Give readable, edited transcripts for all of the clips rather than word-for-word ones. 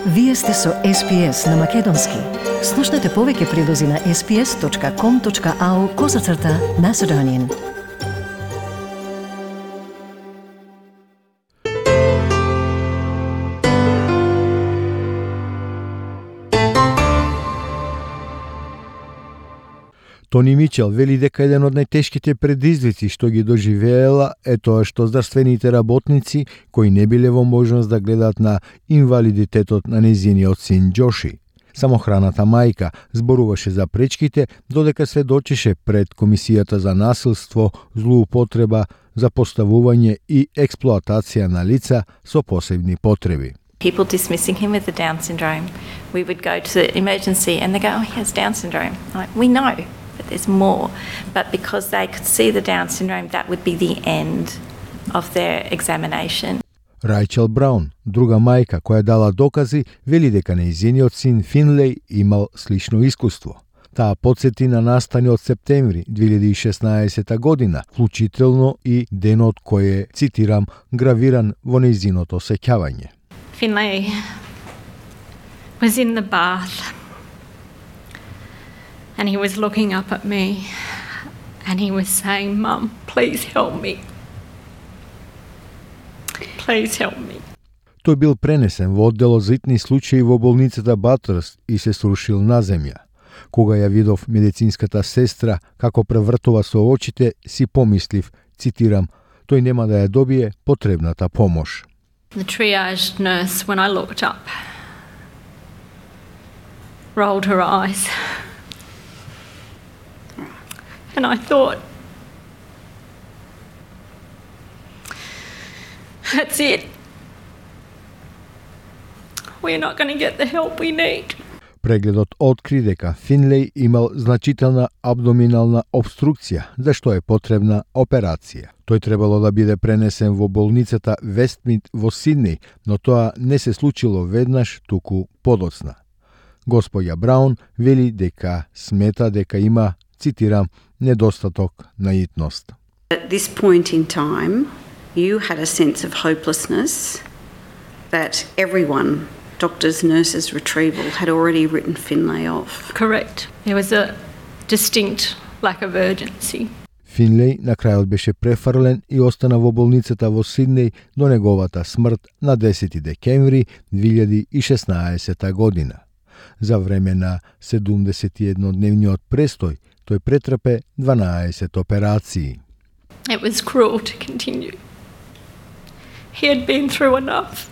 Вие сте со SPS на Македонски. Слушнете повеќе прилози на sps.com.au/Macedonian. Тони Мичел вели дека еден од најтешките предизвици што ги доживеела е тоа што здравствените работници кои не биле во можност да гледат на инвалидитетот на нејзиниот син Џоши. Самохраната мајка зборуваше за пречките додека сведочеше пред Комисијата за насилство, злоупотреба, запоставување и експлоатација на лица со посебни потреби. People dismissing him with the Down syndrome. We would go to the emergency and they go, oh, he has Down syndrome. Like, we know, but there's more. But because they could see the Down syndrome, that would be the end of their examination. Рајчел Браун, друга мајка која дала докази, вели дека нејзиниот син Финлеј имал слично искуство. Таа подсети на настани од септември 2016 година, вклучително и денот кој е, цитирам, гравиран во нејзиното сеќавање. Finlay was in the bath and he was looking up at me and he was saying, "Mum, please help me. Please help me." Тој бил пренесен во одделот за итни случаи во болницата Батърс и се срушил на земја. Кога ја видов медицинската сестра како превртува со очите, си помислив, цитирам, тој нема да ја добие потребната помош. The triage nurse, when I looked up, rolled her eyes. And I thought, that's it. We're not going to get the help we need. Прегледот откри дека Финлеј имал значителна абдоминална обструкција, за што е потребна операција. Тој требало да биде пренесен во болницата Вестмид во Сиднеј, но тоа не се случило веднаш, туку подоцна. Господја Браун вели дека смета дека има, цитирам, недостаток на итност. At this point in time, you had a sense of hopelessness that everyone, doctors, nurses, retrieval, had already written Finlay off. Correct. There was a distinct lack of urgency. Финлеј на крајот беше префрлен и остана во болницата во Сиднеј до неговата смрт на 10 декември 2016 година. За време на 71-дневниот престој, тој претрпе 12 операции. It was cruel to continue. He had been through enough.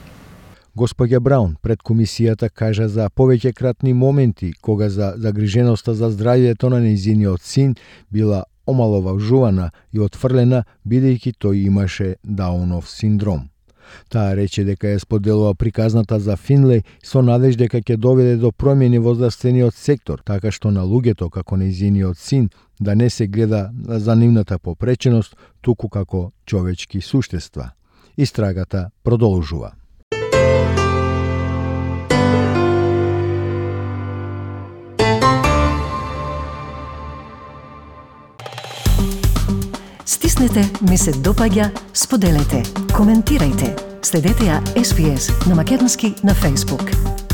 Господја Браун пред комисијата кажа за повеќекратни моменти кога за загриженоста за здравјето на нејзиниот син била омаловажувана и отфрлена бидејќи тој имаше Даунов синдром. Таа рече дека ја споделува приказната за Финлеј со надеж дека ќе доведе до промени во здравствениот сектор, така што на луѓето како нејзиниот син да не се гледа за нивната попреченост, туку како човечки суштества. Истрагата продолжува. Стиснете, ми се допаѓа, споделете, коментирајте. Следете ја SPS на Македонски на Facebook.